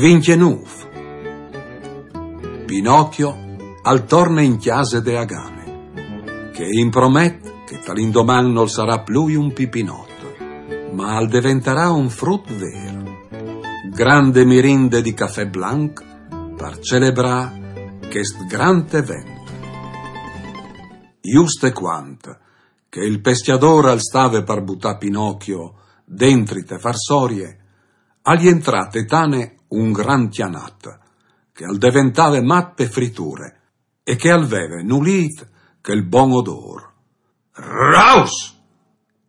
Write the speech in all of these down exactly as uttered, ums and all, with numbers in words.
Vincjenûf. Pinocchio al torne in cjase de Agane, che i impromet che tal indoman nol sarà plui un pipinot, ma al deventarà un frut vêr. Grande mirinde di cafè blanc par celebrâ chest grant event. Juste cuant che il pescjadôr al stave par butâ Pinocchio dentri te farsorie, al jentrà te tane un grant cjanat, che al deventave mat pe friture e che al veve nulît chel bon odôr. «Raus!»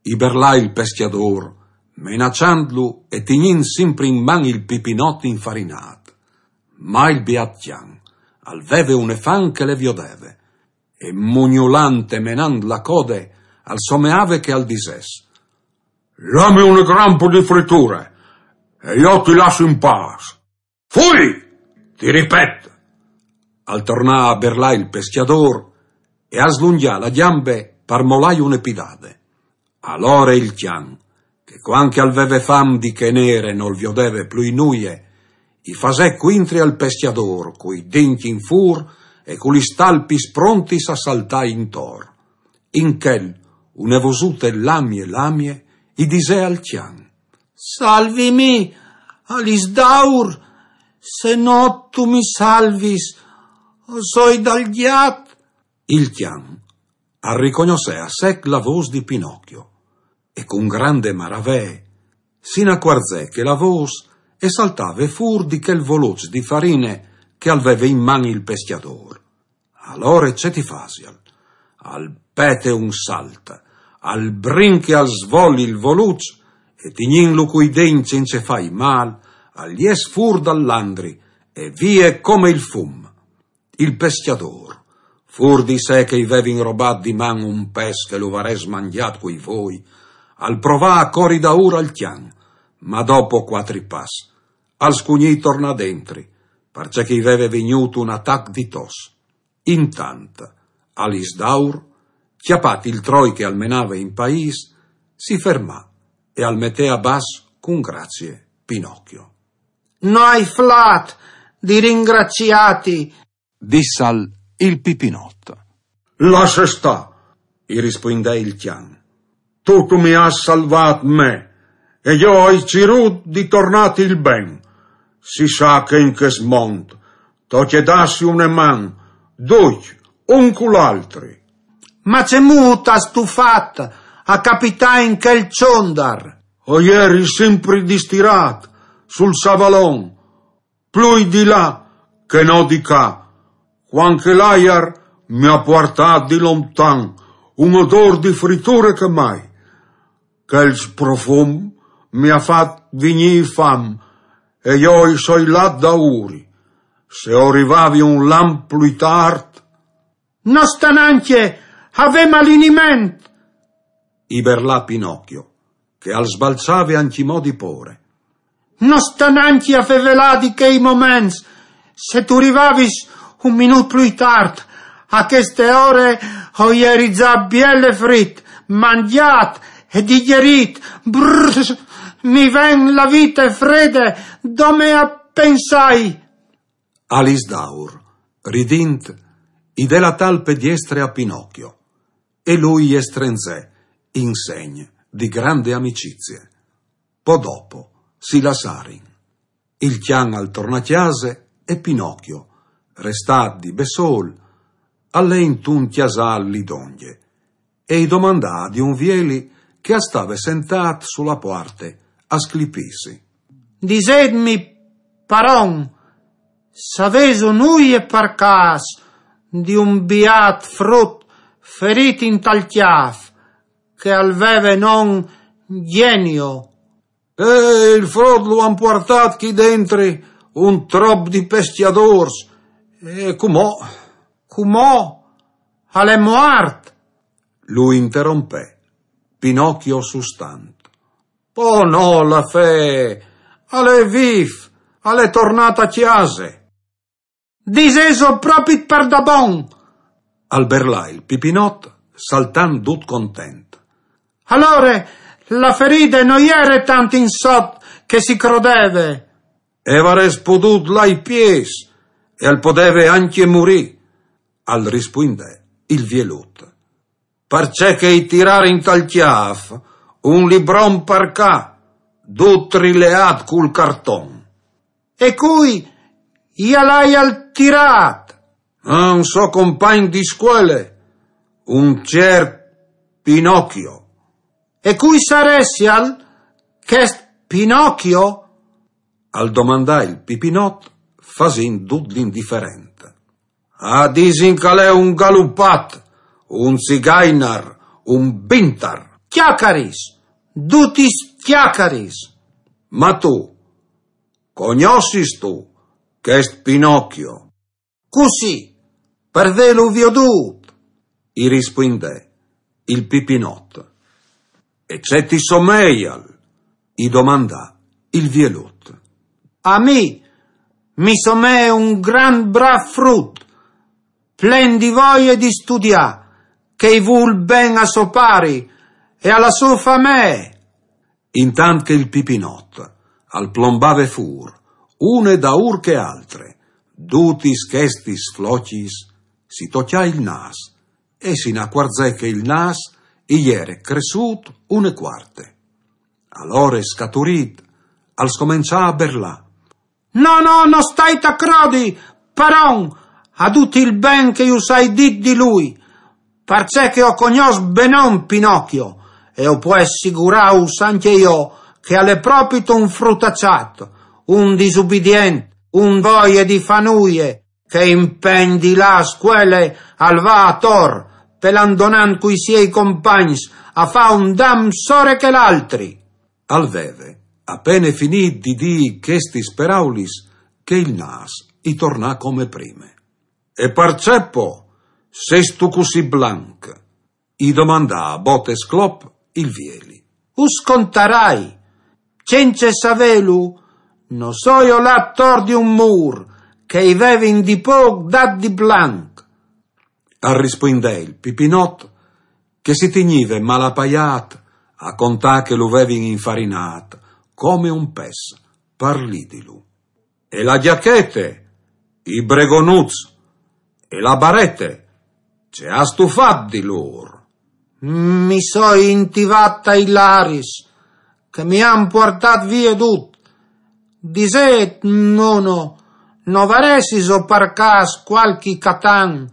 i berlà il pescjadôr, menaçantlu e tignint simpri in man il pipinot infarinât. Ma il biat cjan al veve une fam che le viodeve, e mugnulant e menant la code, al someave che al disès: «Lame une grampe di friture, e jo ti lasse in pâs.» «Fui, ti ripet!» al tornà a berlâ il pescjadôr e a slungjà la gjambe par molâi une pidade. Alore il cjan, che cuant che al veve fam di chê nere nol viodeve plui nuie, i fasè cuintri al pescjadôr cui dincj in fûr e cu lis talpis prontis a saltâi intor. In chel, une vosute lamie lamie i disè al cjan: «Salvimi, Alisdaur, se no tu mi salvis, o soi dal gjat.» Il cjan al ricognossè a sec la vôs di Pinocchio e cun grande maravee si inacuarzè che la vôs e saltave fûr di chel voluç di farine che al veve in man il pescjadôr. Alore ce ti fasial? Al pete un salt, al brinche al svoli il voluç e tignintlu cui dincj cence fâi mâl, al jes fûr dal landri e vie come il fum. Il pescjadôr, fûr di se che i veve inrobât di man un pes che lu varès mangjât cui voi, al provà a cori daûr al cjan, ma dopo cuatri pas al scugnì tornâ dentri, parcè che i veve vignût un atac di tos. Intant, Alisdaur, cjapât il troi che al menave in paîs, si fermà e al metè a bas cun gracie Pinocchio. «No ai flât di ringraciâti», dissal il pipinot. «Lasse stâ», i rispuindè il cjan. «Tu, tu mi âs salvât me, e jo o ai cirût di tornâti il ben. Si sa che in chest mont tocje dâsi une man, ducj, un cul altri.» «Ma cemût âstu fat a capitâ in chel çondar?» «O jeri simpri distirât sul savalon, plui di là che no di ca, cuant che l'aiar mi à puartât di lontan un odôr di friture che mai. Chel profum mi à fat vignî fam e jo i soi lât daûri. Se o rivavi un lamp plui tart.» «No sta nancje a vê maliniment!» i berlà Pinocchio, che al sbalzave ancjemò di pôre. «No sta nancje a fevelâ di chei moments. Se tu rivavis un minût plui tart, a cheste ore o jeri za biele frit, mangjât e digjerît. Brrr, mi ven la vite frede dome a pensâi.» Alisdaur, ridint, i dè la talpe diestre a Pinocchio, e lui je strenzè in segn di grande amicizie. Po dopo si lassarin. Il cjan al tornà a cjase e Pinocchio, restât di bessôl, al lè intun cjasâl li dongje e i domandà di un vieli che al stave sentât su la puarte a sclipîsi: «Disêtmi, paron, s'avêso nuie par câs di un biât frut ferît intal cjâf che al veve non Gjenio?» «Eh, il frut lu àn puartât chi dentri un trop di pescjadôrs. E cumò?» «Cumò al è muart», lu interompè Pinocchio sustant. «Po no, la fee, al è vîf, al è tornât a cjase.» «Disêso propit pardabon?» al berlà il pipinot, saltant dut content. «Alore, la feride no jere tant in sot che si crodeve.» E varès podût lâ ai piês, e al podeve ancje murî, al rispuindè il vielut. Parcè che i tirarin tal cjâf un libron par ca, dut rileât cul carton. E cui i al aial tirât? Ah, un so compagn di scuele, un ciert Pinocchio. E cui saressial chest Pinocchio? Al domandà il Pipinot, fasint dut l'indiferent. A disin che al è un galupat, un zigainar, un bintar. Cjacaris, dutis cjacaris. Ma tu, cognossistu chest Pinocchio? Cussì, par vêlu viodût, i rispuindè il Pipinot. E ce ti someial? I domandà il vielut. A mi mi somee un grant brâf frut, plen di voie di studiâ, che i vûl ben a so pari e a la sô famee. Intant che il Pipinot al plombave fûr, une daûr che altre, dutis chestis flocjis, si tocjà il nâs e si inacuarzè che il nâs i jere cressût une cuarte. Alore, scaturît, al scomençà a berlâ. No, no, no stait a crodi, paron, a dut il ben che ju sai dit di lui, parcè che o cognòs benon Pinocchio, e o pues sigurâus ancje jo che al è propit un frutaçat, un disubidient, un voie di fâ nuie, che impegn di lâ a scuele al va a tor, pelandonant cui siei compagns a fâ un dam sore chel altri. Al veve a pene finît di dî chestis peraulis che il nâs i tornà come prime. E parcè po sêstu cussì blanc? I domandà a bote sclop il vieli. Us contarai, cence savêlu, no soi olât tor di un mûr che i vevin di pôc dât di blanc, al rispuindè il Pipinot, che si tignive malapaiât a contâ che lu vevin infarinât come un pes par lidilu. E la gjachete, i bregonuts e la barete, ce âstu fat di lôr? Mi soi intivât tai laris, che mi àn puartât vie dut. Disêt, nono, no varessis par câs cualchi catan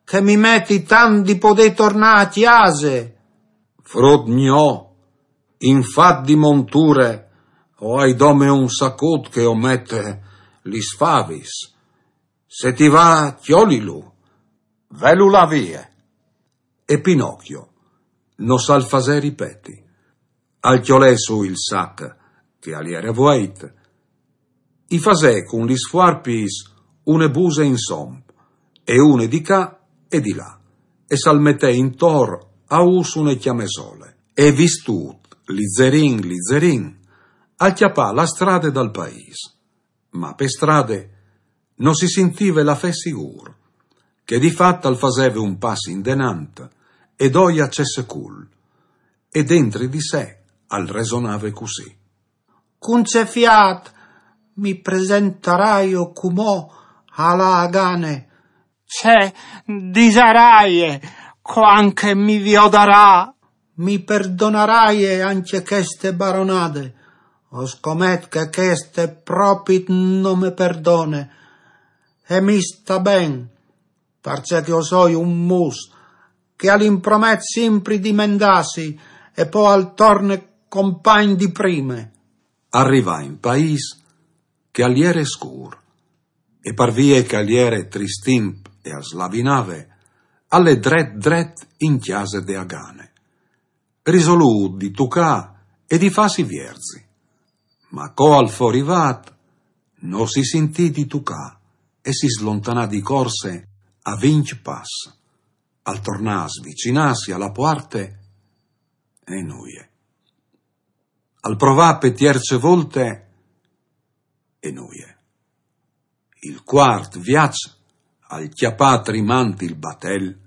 che mi meti tant di podê tornâ a cjase? Frut gno, in fat di monture o ai dome un sacut che o mete lis favis. Se ti va, cjolilu, velu lâ vie. E Pinocchio no sal fasè ripeti. Al cjolè sù il sac che al jere vueit, i fasè cun lis fuarpis une buse insom, e une di ca e di là, e sal metè intor a ûs une cjamesole, e vistût lizerin lizerin, al cjapà la strade dal paîs. Ma pe strade no si sintive lafè sigûr, che di fat al faseve un pas indenant e doi a cessecul, e dentri di se al resonave cussì. Cun ce fiât mi presentaraio cumò a la Agane? Ce disaraie cuant che mi viodarà? Mi perdonaraie ancje cheste baronade? O scomet che cheste propit no me perdone. E mi sta ben, parcè che o soi un mus, che al impromet simpri di mendâsi e po al torne compagn di prime. Al rivà in paîs che al jere scûr, e par vie che al jere tristimp e al slavinave, al lè dret dret in cjase de Agane, risolût di tucâ e di fâsi vierzi. Ma co al fo rivât, no si sintì di tucâ e si slontanà di corse a vincj pas. Al tornà a svicinâsi a la puarte e nuie. Al provà pe tierce volte e nuie. Il cuart viaç al cjapà trimant il batel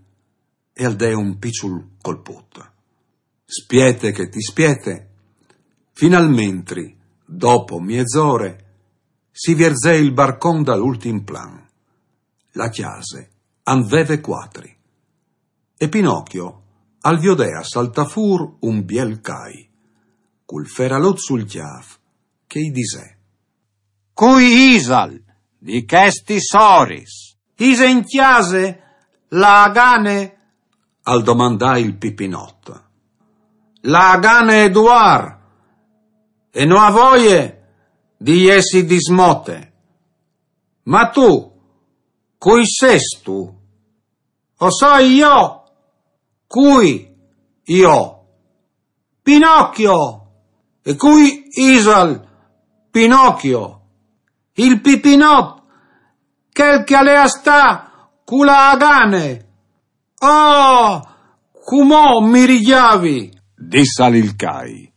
e al dè un piçul colput. Spiete che ti spiete, finalmentri, dopo miezore, Si vierzè il barcon dal ultim plan. La cjase an veve cuatri. E Pinocchio al viodè a saltâ fûr un biel cai, cul feralut sul cjâf, che i disè: «Cui isal di chestis oris?» «Ise in cjase la Agane?» al domandà il Pipinot. «La Agane e duar, e no à voie di jessi dismote. Ma tu, cui sêstu?» «O soi jo.» «Cui jo?» «Pinocchio.» «E cui isal Pinocchio?» «Il Pipinot, chel che al è a stâ cu la Agane.» «Oh, cumò mi rigjavi», dissal il cai.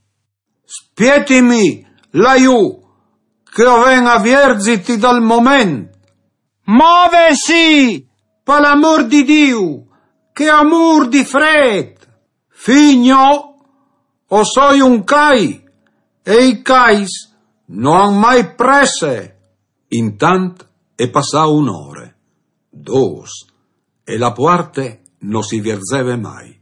«Spietimi lajù, che o ven a vierziti dal moment.» «Movesi, par l'amôr di Diu, che o mûr di frêt.» «Fi gno, o soi un cai, e i cais no àn mai presse.» Intant e passà une ore, dôs, e la puarte no si vierzeve mai.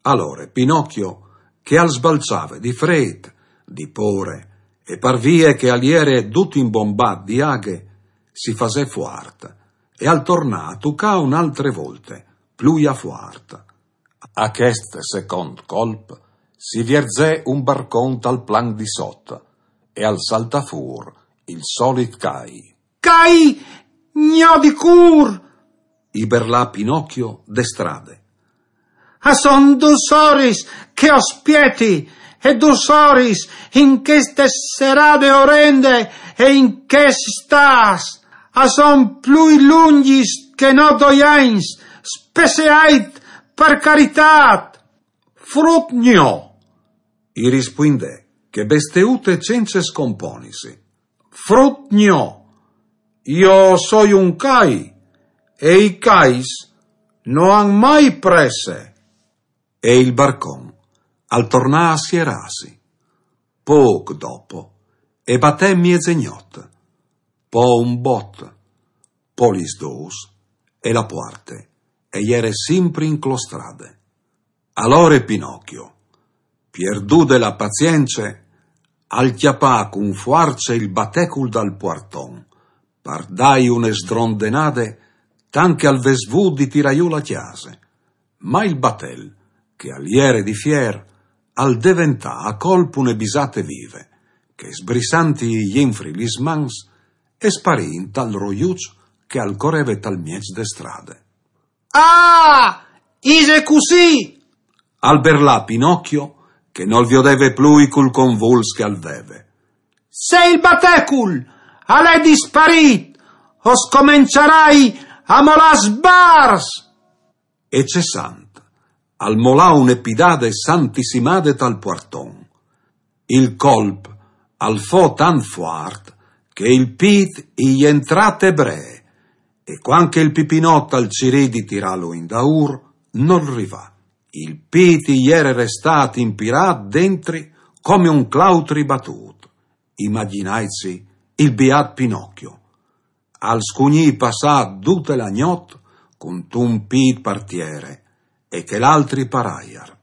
Alore Pinocchio, che al sbalzave di frêt, di pôre, e par vie che al jere dut imbombât di aghe, si fasè fuart, e al tornà a tucâ une altre volte, plui a fuart. A chest secont colp si vierzè un barcon tal plan di sot, e al saltà fûr il solit cai. «Cai gno di cûr!» i berlà Pinocchio de strade. «A son dôs oris che o spieti, e dôs oris in cheste serade orende e in chest stât, a son plui lungjis che no doi agns, spesseait par caritât.» «Frut gno», i rispuindè, che besteute cence scomponisi. «Frut gno, jo o soi un cai, e i cais no àn mai presse.» E il barcon al tornà a sierâsi. Pôc dopo e batè miezegnot, po un bot, po lis dôs, e la puarte e jere simpri inclostrade. Alore Pinocchio, pierdude la pazience, al cjapà cun fuarce il batecul dal puarton, par dâi une sdrondenade, tant che al ves vût di tirâ jù la cjase. Ma il batel, che al jere di fier, al deventà a colp une bisate vive, che sbrissanti jenfri lis mans, e sparì intal roiuç che al coreve tal mieç de strade. «Ah! Ise cussì!» al berlà Pinocchio, che nol viodeve plui cul convuls che al veve. «Se il batecul al è disparît, o scomençarai a molâ sbars!» E cessant, al molà une pidade santissimade tal puarton. Il colp al fo tant fuart che il pît i jentrà te bree, e cuant che il Pipinot al cirì di tirâlu indaûr, nol rivà. Il pît i jere restât impirât dentri come un clautri batût. Imagjinaitsi il biât Pinocchio. Al scugnì passâ dute la gnot cuntun pît par tiere e chel altri par aiar.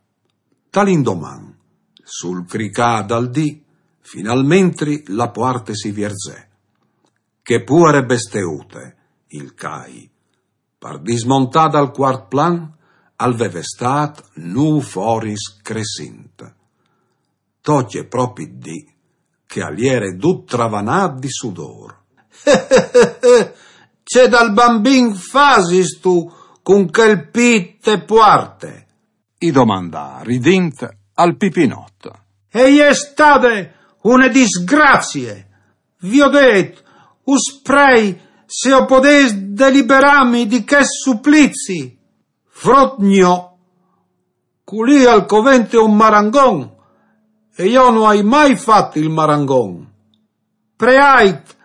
Tal indoman, sul cricâ dal dì, finalmentri la puarte si vierzè. Chê puare besteute, il cai, par dismontâ dal cuart plan, al veve stât nûf oris cressint. Tocje propit dì che al jere dut travanât di sudôr. «Ce dal bambin fasistu cun chel pît te puarte?» i domandà ridint al Pipinot. «E je stade une disgracie. Viodêt, us prei se o podês deliberâmi di chest suplizi.» «Frut gno, culì al covente un marangon, e jo no ai mai fat il marangon.» «Preait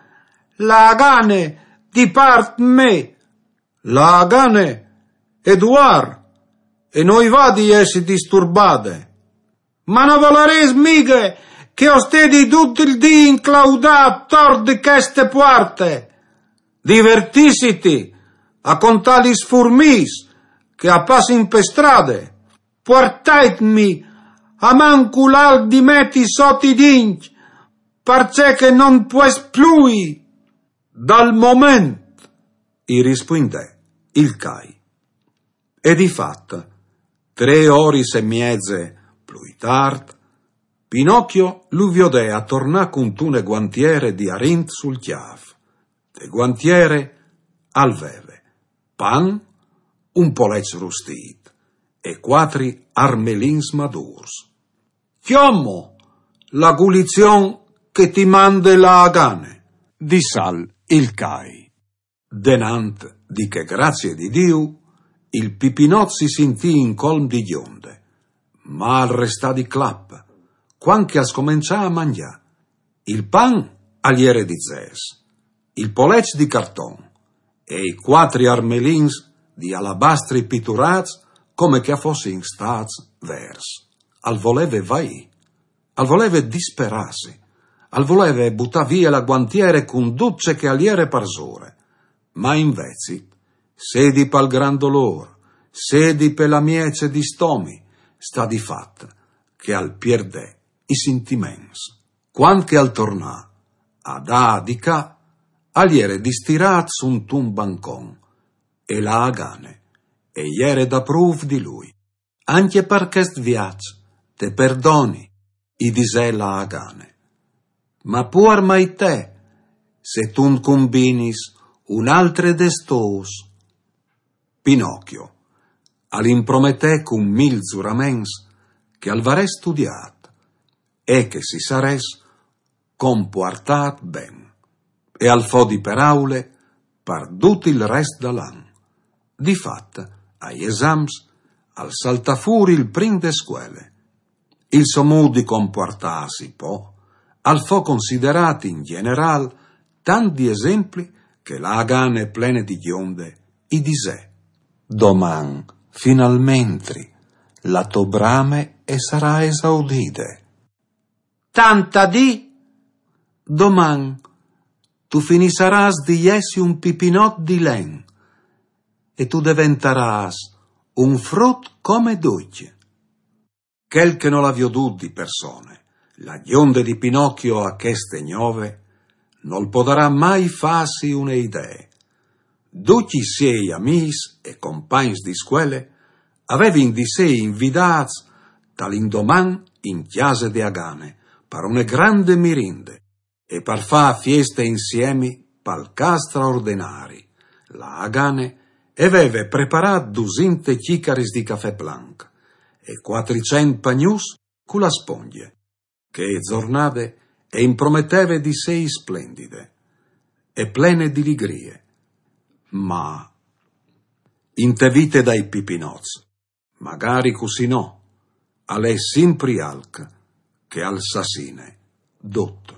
la Agane di part mê.» «La Agane e duar, e no i va di jessi disturbade.» «Ma no volarês mighe che o stedi dut il dì inclaudà ator di cheste puarte. Divertissiti a contà lis furmis che a passin pe strade. Puartaitmi amancul alc di meti sot i dincj, parcè che no 'nt pues plui. Dal moment, i rispuindè il cai. E di fat, trê oris e mieze plui tart, Pinocchio lu viodè a tornà cuntune guantiere di arint sul cjâf. De guantiere al veve pan, un polec rustît e cuatri armelins madûrs. «Cjomo la gulizion che ti mande la Agane», dissal il cai. Denant di chê grazie di Diu, il Pipinot si sintì in colm di gjonde, ma al restà di clap, cuant che al scomençà a mangjâ. Il pan al jere di zês, il polec di carton e i cuatri armelins di alabastri piturâts come che a fossin stâts vêrs. Al voleve vaî, al voleve disperâsi, al voleve butâ vie la guantiere cun dut ce che al jere parsore. Ma invezit, sedi pal gran dolôr, sedi pe la miece di stomi, sta di fat che al pierdè i sintiments. Cuant che al tornà a dâ di ca, al jere distirât suntun bancon, e la Agane e jere daprûf di lui. «Ancje par chest viaç te perdoni», i disè la Agane. «Ma puar mai te, se tu 'nt cumbinis une altre des tôs». Pinocchio al imprometè cun mil zuraments che al varè studiât e che si sarès compuartât ben, e al fo di peraule par dut il rest dal an. Di fat, ai esams, al saltà fûr il prin de scuele. Il so mût di compuartâsi, po, al fo considerât in gjenerâl tant di esempli che la Agane plene di gjonde i disè: «Doman, finalmentri, la tô brame e sarà esaudide». «Tant a dî, doman tu finissarâs di jessi un pipinot di len e tu deventarâs un frut come ducj». Chel che nol à viodût di persone la gjonde di Pinocchio a cheste gnove, nol podarà mai fâsi une idee. Ducj i siei amîs e compagns di scuele a vevin di sei invidâts tal indoman in cjase de Agane par une grande mirinde e par fâ fieste insiemi pal câs straordenari. La Agane e veve preparât dusinte cjicaris di cafè planc e cuatricent pagnuts cu la spongje. Chê zornade e imprometeve di sei splendide e plene di ligrie. Ma inte vite dai pipinots, magari cussì no, al è simpri alc che al sassine dut.